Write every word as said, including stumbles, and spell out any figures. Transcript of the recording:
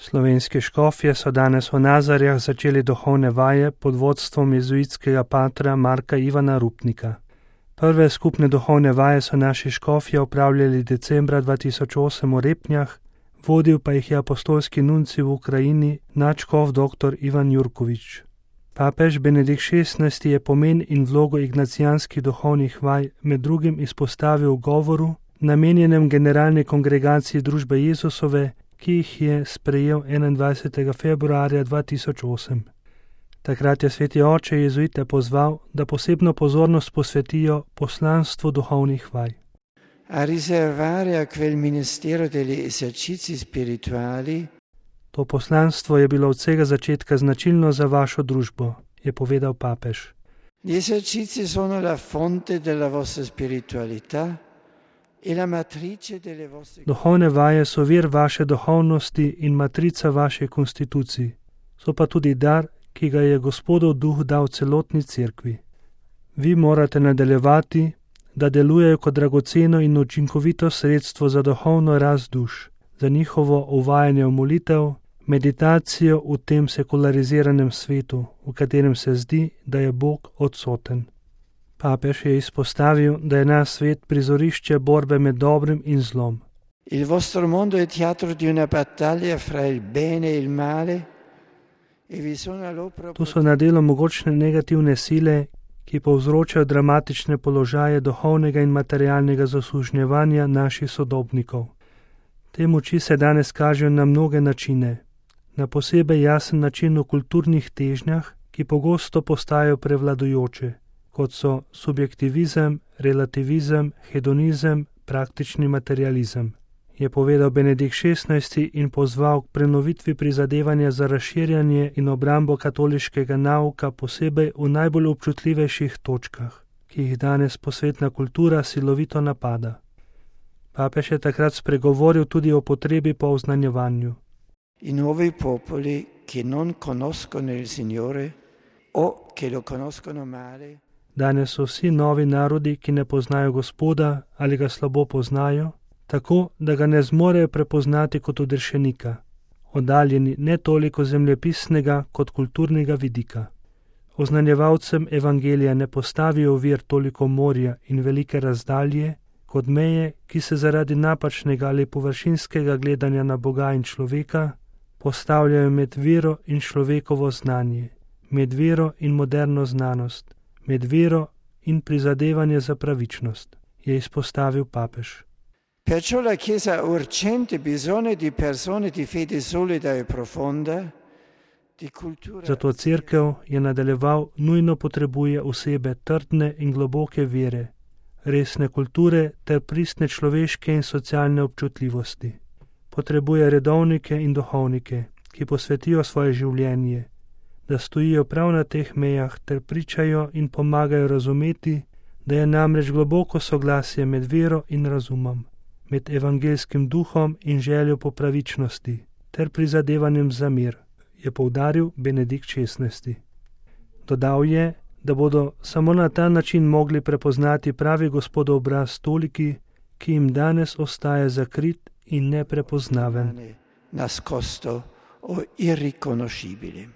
Slovenski škofje so danes v Nazarjah začeli duhovne vaje pod vodstvom jezuitskega patra Marka Ivana Rupnika. Prve skupne duhovne vaje so naši škofje opravljali decembra dva tisoč osem v Repnjah, vodil pa jih je apostolski nuncij v Ukrajini, nadškof dr. Ivan Jurkovič. Papež Benedikt šestnajsti je pomen in vlogo ignacijanskih duhovnih vaj med drugim izpostavil v govoru, namenjenem Generalni kongregaciji Družbe Jezusove, ki jih je sprejel enaindvajsetega februarja dva tisoč osem. Takrat je sveti oče jezuite pozval, da posebno pozornost posvetijo poslanstvu duhovnih vaj. A riservare a quel ministero degli esercizi spirituali. To poslanstvo je bilo od vsega začetka značilno za vašo družbo, je povedal papež. Gli esercizi sono la fonte della vostra spiritualità e la matrice delle vostre. Duhovne vaje so vir vaše duhovnosti in matrica vaše konstitucij. So pa tudi dar, ki ga je Gospodov duh dal celotni cerkvi. Vi morate nadaljevati, da delujejo kot dragoceno in učinkovito sredstvo za duhovno rast duš, za njihovo uvajanje v molitev, meditacijo v tem sekulariziranem svetu, v katerem se zdi, da je Bog odsoten. Papež je izpostavil, da je naš svet prizorišče borbe med dobrim in zlom. Il vostro mondo è teatro di una battaglia fra il bene e il male. E vi sono all'opera. Tu so na delu mogočne negativne sile, ki povzročajo dramatične položaje duhovnega in materialnega zasužnjevanja naših sodobnikov. Te moči se danes kažejo na mnoge načine, na posebej jasen način v kulturnih težnjah, ki pogosto postajajo prevladujoče, kot so subjektivizem, relativizem, hedonizem, praktični materializem, je povedal Benedikt šestnajsti in pozval k prenovitvi prizadevanja za razširjanje in obrambo katoliškega nauka posebej v najbolj občutljivejših točkah, ki jih danes posvetna kultura silovito napada. Papež je takrat spregovoril tudi o potrebi po oznanjevanju. I nuovi popoli che non conoscono il Signore o che lo conoscono male. Danes so vsi novi narodi, ki ne poznajo Gospoda ali ga slabo poznajo, tako da ga ne zmorejo prepoznati kot odrešenika, oddaljeni ne toliko zemljepisnega kot kulturnega vidika. Oznanjevalcem evangelija ne postavijo ovir toliko morja in velike razdalje, kot meje, ki se zaradi napačnega ali površinskega gledanja na Boga in človeka postavljajo med vero in človekovo znanje, med vero in moderno znanost, med vero in prizadevanje za pravičnost, je izpostavil papež. Perciò la Chiesa ha urgente bisogno di persone di fede solida e profonda, di cultura. Zato cerkev, je nadaljeval, nujno potrebuje osebe trdne in globoke vere, resne kulture ter pristne človeške in socialne občutljivosti. Potrebuje redovnike in duhovnike, ki posvetijo svoje življenje, da stojijo prav na teh mejah ter pričajo in pomagajo razumeti, da je namreč globoko soglasje med vero in razumom, med evangelskim duhom in željo po pravičnosti ter prizadevanjem za mir, je poudaril Benedikt šestnajsti. Dodal je, da bodo samo na ta način mogli prepoznati pravi Gospodov obraz toliki, ki jim danes ostaja zakrit in neprepoznaven. Nascosto o irriconoscibile.